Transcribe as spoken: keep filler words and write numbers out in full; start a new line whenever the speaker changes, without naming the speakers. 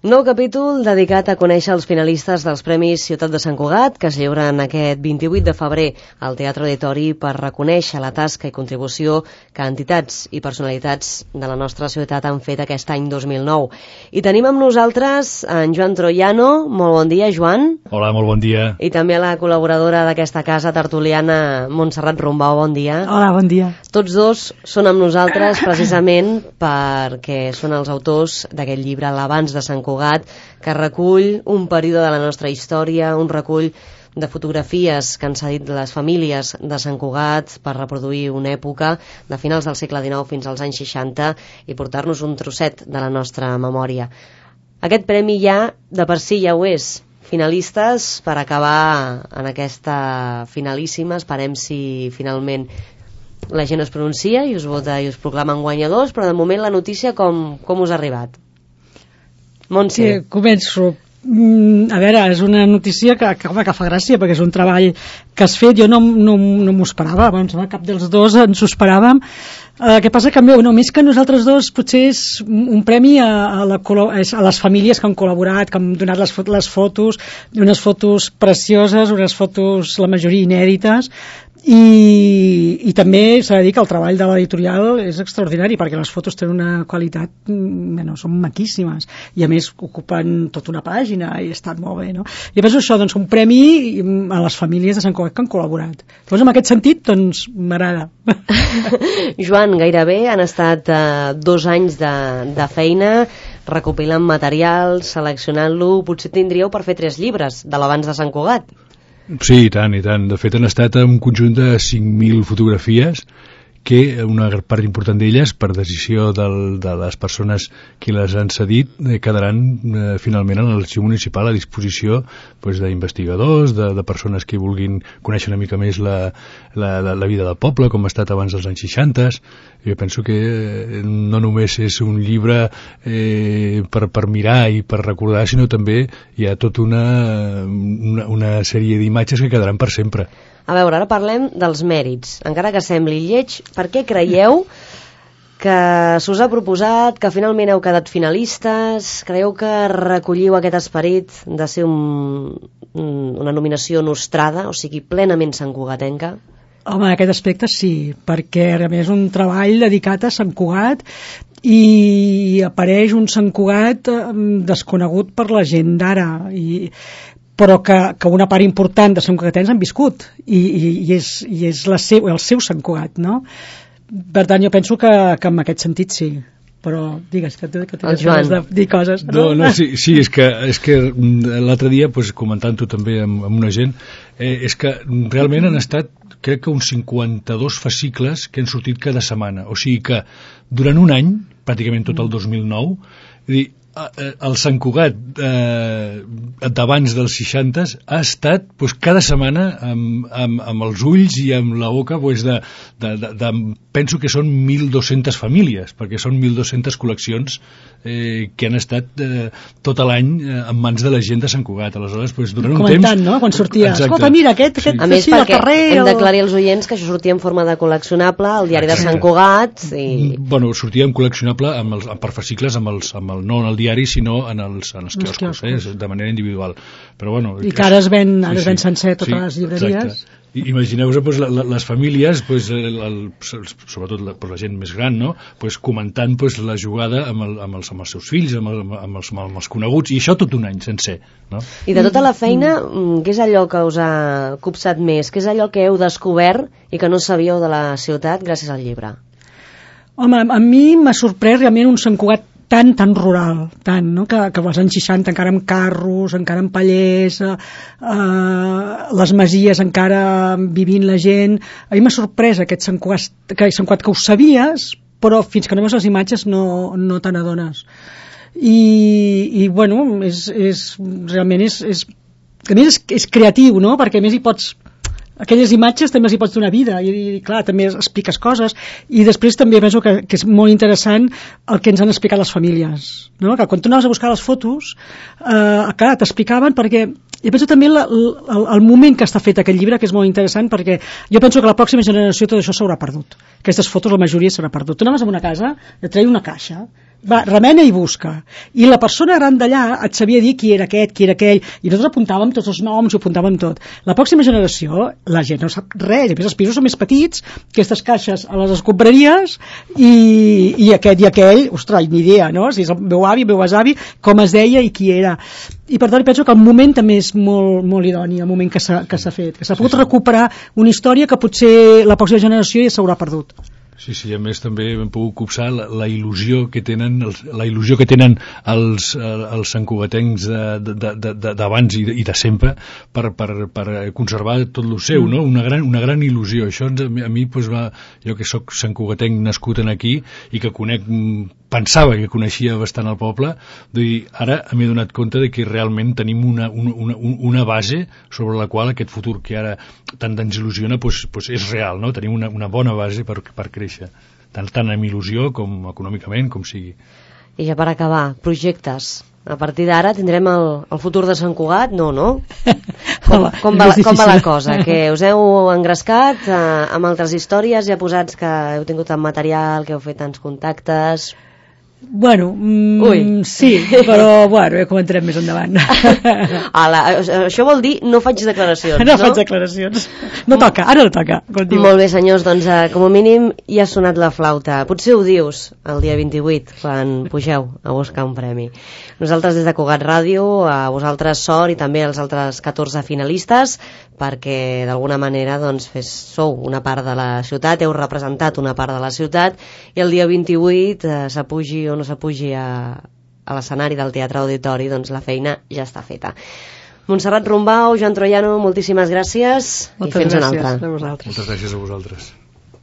Nou capítol dedicat a conèixer els finalistes dels Premis Ciutat de Sant Cugat, que es lliuren aquest vint-i-vuit de febrer al Teatre Auditori per reconèixer la tasca i contribució que entitats i personalitats de la nostra ciutat han fet aquest any dos mil nou. I tenim amb nosaltres en Joan Troiano. Molt bon dia, Joan.
Hola, molt bon dia.
I també la col·laboradora d'aquesta casa tertuliana, Montserrat Rombau. Bon dia.
Hola, bon dia.
Tots dos són amb nosaltres precisament perquè són els autors d'aquest llibre, L'Abans de Sant Cugat, que recull un període de la nostra història, un recull de fotografies que han cedit les famílies de Sant Cugat per reproduir una època de finals del segle dinou fins als anys seixanta i portar-nos un trosset de la nostra memòria. Aquest premi ja, de per si ja ho és, finalistes per acabar en aquesta finalíssima. Esperem si finalment la gent es pronuncia i us vota i us proclamen guanyadors, però de moment la notícia com, com us ha arribat? Montse.
Sí, començo. Mm, a veure, és una notícia que, que, home, que fa gràcia, perquè és un treball que has fet. Jo no, no, no m'ho esperava, abans cap dels dos ens ho esperàvem. El uh, que passa que no, més que nosaltres dos potser és un premi a, a, la, a les famílies que han col·laborat, que han donat les, les fotos, unes fotos precioses, unes fotos la majoria inèdites. I, i també s'ha de dir que el treball de l'editorial és extraordinari, perquè les fotos tenen una qualitat, bueno, són maquíssimes i a més ocupen tota una pàgina i estan molt bé, no? I penso això, doncs un premi a les famílies de Sant Cugat que han col·laborat. Llavors en aquest sentit, doncs m'agrada.
Joan, gairebé han estat uh, dos anys de, de feina recopilant material, seleccionant-lo. Potser tindríeu per fer tres llibres de l'Abans de Sant Cugat.
Sí, i tant, i tant. De fet, han estat un conjunt de cinc mil fotografies que una part important d'elles, per decisió del, de les persones que les han cedit, eh, quedaran eh, finalment a l'arxiu municipal a disposició pues, d'investigadors, de, de persones que vulguin conèixer una mica més la, la, la, la vida del poble, com ha estat abans dels anys seixanta. Jo penso que eh, no només és un llibre eh, per, per mirar i per recordar, sinó també hi ha tota una, una, una sèrie d'imatges que quedaran per sempre.
A veure, ara parlem dels mèrits. Encara que sembli lleig, per què creieu que s'us ha proposat, que finalment heu quedat finalistes? Creieu que recolliu aquest esperit de ser un, una nominació nostrada, o sigui, plenament santcugatenca?
Home, en aquest aspecte sí, perquè a més és un treball dedicat a Sant Cugat i apareix un Sant Cugat desconegut per la gent d'ara i però que, que una part important de Sant Cugatens han viscut i, i, i és, i és la seu, el seu Sant Cugat, no? Per tant, jo penso que, que en aquest sentit sí, però digues que, que tens ganes de dir coses.
No, no, sí, sí és que, és que l'altre dia, pues, comentant-ho també amb, amb una gent, eh, és que realment han estat, crec que uns cinquanta-dos fascicles que han sortit cada setmana, o sigui que durant un any, pràcticament tot el dos mil nou, dir, el Sant Cugat eh, d'abans dels seixanta ha estat pues, cada setmana amb, amb, amb els ulls i amb la boca pues, de, de, de, de, penso que són mil dues-centes famílies, perquè són mil dues-centes col·leccions eh, que han estat eh, tot l'any eh, en mans de la gent de Sant Cugat. Aleshores, pues, durant un
comentant,
temps...
no? Quan sortia, escolta, mira, aquest, aquest
sí. A més,
sí,
perquè
carrer,
hem
o...
d'aclarir als oients que això sortia en forma de col·leccionable al diari de Sant Cugat i...
Bueno, sortia en col·leccionable amb els, per fascicles amb els, amb el, no en el diari, sinó en els, en els quioscos, eh, de manera individual. Però, bueno,
i que ara es ven, ara
sí,
es ven sencer totes
sí,
les llibreries.
Exacte. Imagineu-vos pues, la, la, les famílies, pues, el, el, sobretot la, pues, la gent més gran, no? Pues, comentant pues, la jugada amb, el, amb, els, amb els seus fills, amb, el, amb, els, amb els coneguts, i això tot un any sencer. No?
I de tota la feina, què és allò que us ha copsat més? Què és allò que heu descobert i que no sabíeu de la ciutat gràcies al llibre?
Home, a mi m'ha sorprès realment un Sant Cugat tan, tan rural, tant, no? que, que als anys seixanta encara amb carros, encara amb pallers, eh, eh, les masies encara vivint la gent. A mi m'ha sorprès aquest Sant Cugat, que, Sant Cugat que ho sabies, però fins que no veus les imatges no, no te n'adones. I, i bueno, és, és, realment és, és, a més és, és creatiu, no? Perquè a més hi pots... aquelles imatges també els hi pots donar vida i, i clar, també expliques coses i després també penso que, que és molt interessant el que ens han explicat les famílies, no? Que quan tu anaves a buscar les fotos eh, clar, t'explicaven perquè jo penso també la, el, el moment que està fet aquest llibre que és molt interessant perquè jo penso que la pròxima generació tot això s'haurà perdut, aquestes fotos la majoria s'haurà perdut. Tu anaves a una casa, et treia una caixa va, remena i busca. I la persona gran d'allà et sabia dir qui era aquest, qui era aquell, i nosaltres apuntàvem tots els noms, ho apuntàvem tot. La pròxima generació, la gent no sap res, i a més els pisos són més petits, aquestes caixes a les escombraries, i, i aquest i aquell, ostres, ni idea, no? Si és el meu avi, el meu besavi, com es deia i qui era. I per tant penso que el moment també és molt, molt idoni, el moment que s'ha que s'ha fet, que s'ha pogut recuperar una història que potser la pròxima generació ja s'haurà perdut.
Sí, sí, a més també hem pogut copsar la, la il·lusió que tenen els, la il·lusió que tenen els, els santcugatencs d'abans i, i de sempre per, per, per conservar tot el seu, no? Una gran, una gran il·lusió. Això ens, a mi pues, va, jo que sóc santcugatenc nascut en aquí i que conec, pensava que coneixia bastant el poble, dir, ara m'he donat compte de que realment tenim una, una, una base sobre la qual aquest futur que ara tant ens il·lusiona pues, pues és real, no? Tenim una, una bona base per, per créixer, tant, tant amb il·lusió com econòmicament, com sigui.
I ja per acabar, projectes. A partir d'ara tindrem el, el futur de Sant Cugat? No, no? Com, com, va, com va la cosa? Que us heu engrescat eh, amb altres històries ja posats que heu tingut tant material, que heu fet tants contactes...
Bueno, mm, sí, però bueno, ja comentarem més endavant.
Ala, això vol dir no faig declaracions,
no?
No
faig declaracions. No toca, ara no toca.
Molt bé, senyors, doncs eh, com a mínim ja ha sonat la flauta. Potser ho dius el dia vint-i-vuit, quan pugeu a buscar un premi. Nosaltres des de Cugat Ràdio, a vosaltres sort i també als altres catorze finalistes, perquè d'alguna manera doncs, fes, sou una part de la ciutat, heu representat una part de la ciutat, i el dia vint-i-vuit eh, s'apugi o no s'apugi a, a l'escenari del Teatre Auditori, doncs la feina ja està feta. Montserrat Rombau, Joan Troiano, moltíssimes gràcies.
Moltes
i fins
gràcies
una altra.
a vosaltres.
Moltes gràcies a vosaltres.